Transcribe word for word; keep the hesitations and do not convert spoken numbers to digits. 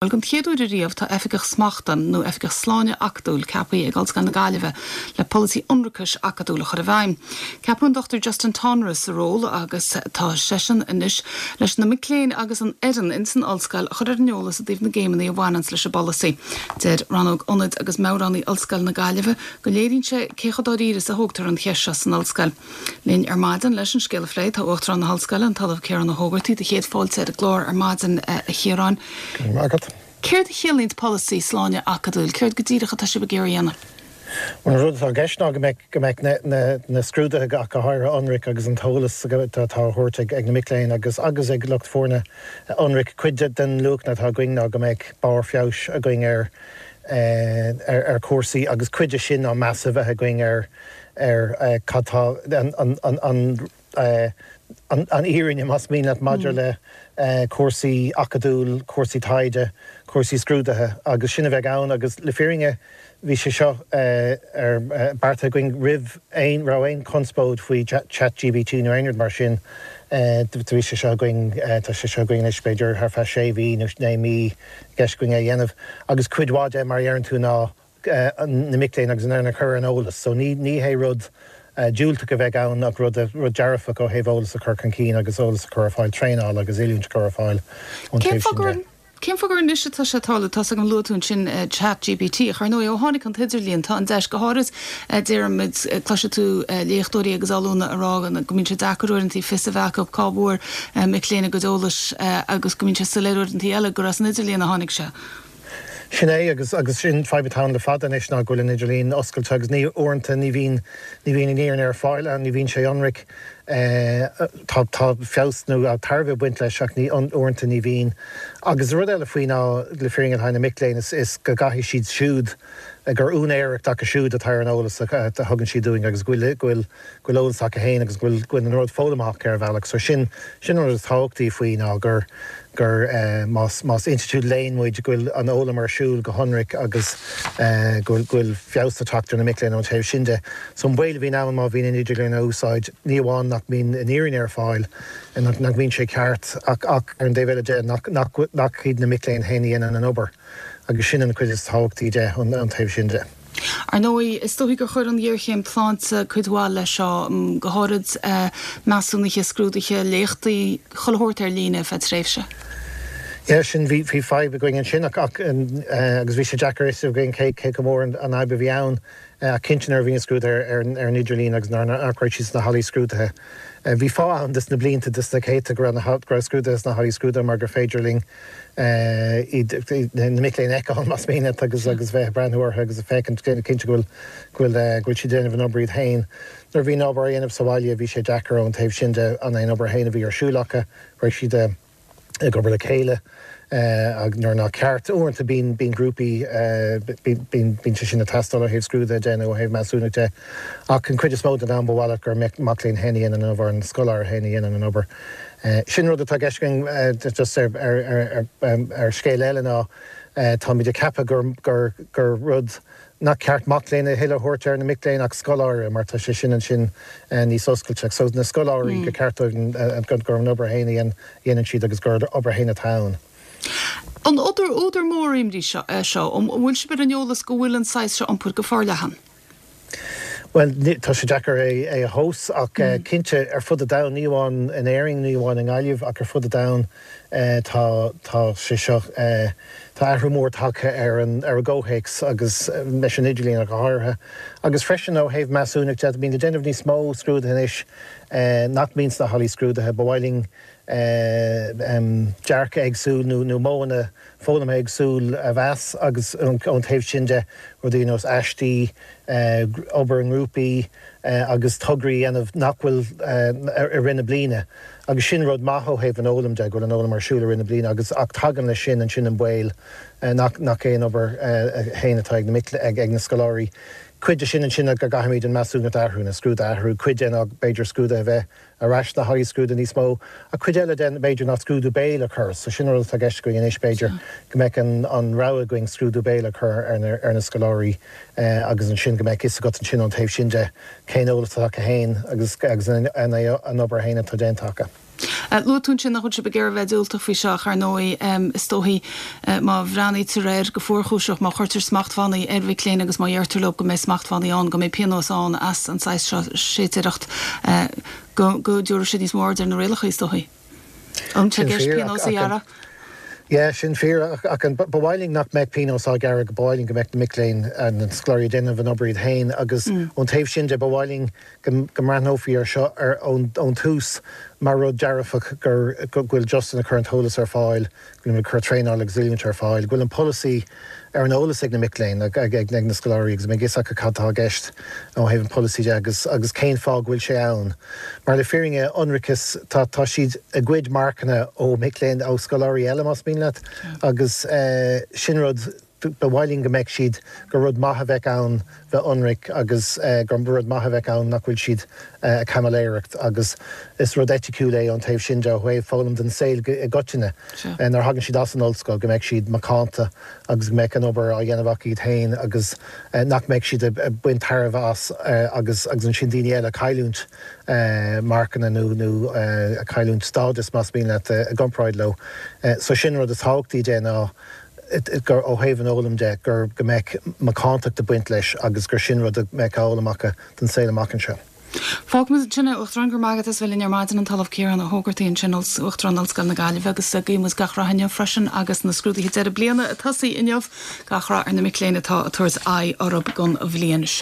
Bhuel, don chéad uair riamh tá oifigeach smachta nó oifigeach sláine acadúil ceaptha ag Ollscoil na Gaillimhe le polasaí ionracais acadúil a chur i bhfeidhm. Ceapadh an Dr Justin Tonra sa ról agus tá seisean anois leis na mic léinn agus an fhoireann in san ollscoil a chur ar an eolas i dtaobh na gcéimeanna a bhaineann leis an bpolasaí. Deir rannóg ionaid agus meabhránaí Ollscoil na Gaillimhe go léiríonn sé cé chomh dáiríre is a thógtar an cheist seo san ollscoil. Linn ar maidin leis an scéal a phlé tá Uachtarán na hOllscoile an tOllamh Ciarán Ó hÓgartaigh do chéad fáilte ar an gclár ar maidin a Chiaráin. Céard a chiallaíonn polasaí sláine acadúil, céard go díreach atá sibh ag iarraidh a dhéanamh? An rud atá i gceist ná go mbeidh go mbeidh na na scrúduithe go háirithe ionraic agus an t-eolas atá á thabhairt ag na mic léinn agus agus ag lucht foirne ionraic cuid den luachanna atá againn ná go mbeidh barr feabhais againn ar ar ar chúrsaí agus cuid de sin ná meas a bheith againn ar ar cad tá an an an an an fhírinne más mian leat maidir le cúrsaí acadúil, cúrsaí taighde, cúrsaí scrúduithe agus sin a bheidh ann agus le fírinne bhí sé seo ar beartaithe againn roimh aon raibh aon chonspóid faoi ChatGPT nó aon rud mar sin bhí sé seo againn tá sé seo againn anois b'fhéidir thar feadh sé mhí nó naoi mí i gceist againn é a dhéanamh agus cuid mhaith de mar a deireann tú ná na mic léinn agus an fhoireann a chur ar an eolas, so ní ní hé rud diúltach a bheidh ann ach rud rud dearfach ó thaobh eolas a chur chun cinn agus eolas a chur ar fáil traenáil agus oiliúint a chur ar fáil ón Cén taobh sin de. Cén fáth gur anois atá sé ag tarlú tá an luaigh tú ansin ChatGPT ach ar ndóigh ó tháinig an t-idirlíon tá an deis go háirid deirimid cloisfidh tú léachtóirí agus ollúna ag rá go mbíonn sé deacair uaireanta fios a bheith acu cá bhfuair mic léinn a gcuid eolais agus go mbíonn sé soiléir uaireanta eile gur as an idirlíon a tháinig sé. Sin é agus agus sin fadhb atá ann le fada anois ná go bhfuil an idirlíon oscailte agus ní uaireanta ní bhíonn ní bhíonn an fhírinne ar fáil ann, ní bhíonn sé ionraic tá tá feabhas nó tairbhe ag baint leis ach ní uaireanta ní bhíonn. Agus rud eile faoi ná le fírinne le haghaidh na mic léinn is is go gcaithfidh siad siúd gur úinéireacht acu siúd atá ar an eolas a thugann siad dúinn agus go bhfuil go bhfuil go bhfuil eolas acu féin agus go bhfuil go bhfuil an rud foghlamtha acu ar a bhealach. So sin sin an rud is tábhachtaí faoi ná gur gur más más institiúid léinn muid go bhfuil an fhoghlaim ar siúl go hionraic agus go bhfuil go bhfuil feabhas ag teacht ar na mic léinn ón taobh sin de. So an baol a bhíonn ann má bhíonn an idirlíon á úsáid ní amháin nach mbíonn an fhírinne ar fáil nach nach mbíonn sé ceart ach ach ar an dtaobh eile de nach nach nach iad na mic léinn féin a dhéanann an obair agus sin an chuid is tábhachtaí de an an taobh sin de. Ar ndóigh is dóigh gur chuir an ghéarchéim sláinte cuid mhaith leis seo go háirid measúnuithe scrúduithe léachtaí chuile shórt ar líne feadh tréimhse. Ja sin bhí bhí fadhb againn ansin ach ach agus bhí sé deacair is againn cé cé go mór an fhadhb a bhí ann cinnte nuair a bhí an scrúdú ar ar an idirlíon agus nuair nach raibh siad sna hallaí scrúdaithe. Bhí fáth ann dos na blianta dos na céadta go raibh na go raibh scrúduithe sna hallaí scrúdaithe mar gur féidir linn iad na mic léinn a fheiceáil más mian leat agus agus bheith ag breathnú orthu agus a féachaint cinnte go bhfuil go bhfuil go bhfuil siad déanamh an obair iad féin. Nuair a bhí an obair á dhéanamh sa bhaile bhí sé deacair ón taobh sin de an aon obair féin a bhí ar siúl acu, raibh siad ag obair le chéile ag nuair nach ceart uaireanta bíonn bíonn grúpaí bíonn bíonn sé sin ag teastáil ó thaobh scrúduithe de nó ó thaobh measúnacht de ach an chuid is mó den am ba mhaith leat gur mac léinn féin a dhéanann an obair an scoláire féin a dhéanann an obair. Sin rud atá i gceist againn just ar ar ar ar scéal eile ná táimid ag ceapadh gur gur gur rud nach ceart mac léinn a thuilleadh a thabhairt ar na mic léinn ach scoláire mar tá sé sin ansin níos oscailte. So na scoláirí go ceart dóibh gur an obair féin a dhéanann siad agus gur obair féin atá ann. An údar údar mór imní seo seo an bhfuil sibh ar an eolas go bhfuil an saghas seo iompair go forleathan. Well tá sé deacair é é a thomhas ach cinnte ar fud an domhain ní amháin in Éirinn ní amháin i nGaillimh ach ar fud an domhain tá tá sé seo tá athrú mór tagtha ar an ar an gcomhthéacs agus leis an idirlíon go háirithe. Agus freisin ó thaobh measúnacht de bíonn le déanamh níos mó scrúduithe anois nach mbíonn sna hallaí scrúdaithe ba mhaith linn dearcadh éagsúil nó nó modhanna foghlama éagsúil a mheas agus ón taobh sin de rudaí ar nós aistí, obair i ngrúpaí agus tograí a dhéanamh nach bhfuil i rith na bliana. Agus sin rud maith ó thaobh an fhoghlaim de go bhfuil an fhoghlaim ar siúl i rith na bliana agus ach tagann leis sin ansin an baol nach nach aon obair féin atá ag na mic ag ag na scoláirí. Cuid de sin ansin go gcaithfimid an measúnacht a athrú na scrúduithe a athrú, cuid de ná b'fhéidir scrúduithe a bheith ar ais sna hallaí scrúdaithe níos mó, a cuid eile den b'fhéidir ná scrúdú béil a chur, so sin rud atá i gceist againn anois b'fhéidir go mbeadh an an rogha againn scrúdú béil a chur ar na ar na scoláirí agus ansin go mbeadh fhios agat ansin ón taobh sin de cén eolas atá acu féin agus agus an an obair féin atá déanta acu. Luaigh tú ansin nach bhfuil sibh ag iarraidh bheith diúltach faoi seo ach ar ndóigh is dóichí má bhreathnaítear air go fuarchúiseach, má chuirtear smachtbhannaí ar mhic léinn agus má dheirtear leo go mbeidh smachtbhannaí ann, go mbeidh pionós ann as an saghas seo séitéireacht, go go dtabharfaidh siad níos mó aird ar na rialacha is dóichí. An sé gceist pionós a ghearradh? Yeah, sin fíor ach an ba mhaith linn nach mbeadh pionós á ghearradh go ba mhaith linn go mbeadh na mic léinn na scoláirí ag déanamh an obair iad féin agus ón taobh sin de ba mhaith linn go go mbreathnófaí ar seo ar ón tús mar rud dearfach gur go bhfuil Justin ag cur an t-eolas ar fáil, go bhfuil cur traenáil agus oiliúint ar fáil, go bhfuil an polasaí ar an eolas ag na mic léinn ag ag na scoláirí agus mbeidh a fhios acu cad atá i gceist ó thaobh an polasaí de agus agus cén fáth go bhfuil sé ann. Mar le fírinne ionracas tá tá siad ag goid marcanna ó mic léinn ó scoláirí eile más mian leat agus eh, sin rud ba mhaith linn go mbeadh siad gur rud maith a bheith ann bheith ionraic agus eh, gur rud maith a bheith ann nach bhfuil siad eh, ag caimiléireacht agus is rud eiticiúil é an taobh sin de ó thaobh foghlaim den saol i gcoitinne nuair a thagann siad as an ollscoil go mbeidh siad macánta agus go mbeidh an obair á dhéanamh acu iad féin agus eh, nach mbeidh siad ag baint tairbhe as agus agus ansin daoine eile cailliúint marcanna nó nó cailliúint stádas más mian leat i gcomparáid leo. So sin rud is tábhachtaí de ná gur ó thaobh an fhoghlaim de gur go mbeidh macántacht ag baint leis agus gur sin rud a mbeidh á fhoghlaim acu don saol amach anseo. Fágfaimid ansin é Uachtarán go raibh maith agat as bheith linn ar maidin an tOllamh Ciarán Ó hÓgartaigh ansin Uachtarán Ollscoil na Gaillimhe agus guímid gach rath inniu freisin agus na scrúduithe deireadh bliana ag tosaí inniu gach rath ar na mic léinn atá ag tabhairt aghaidh orthu don bhliain seo.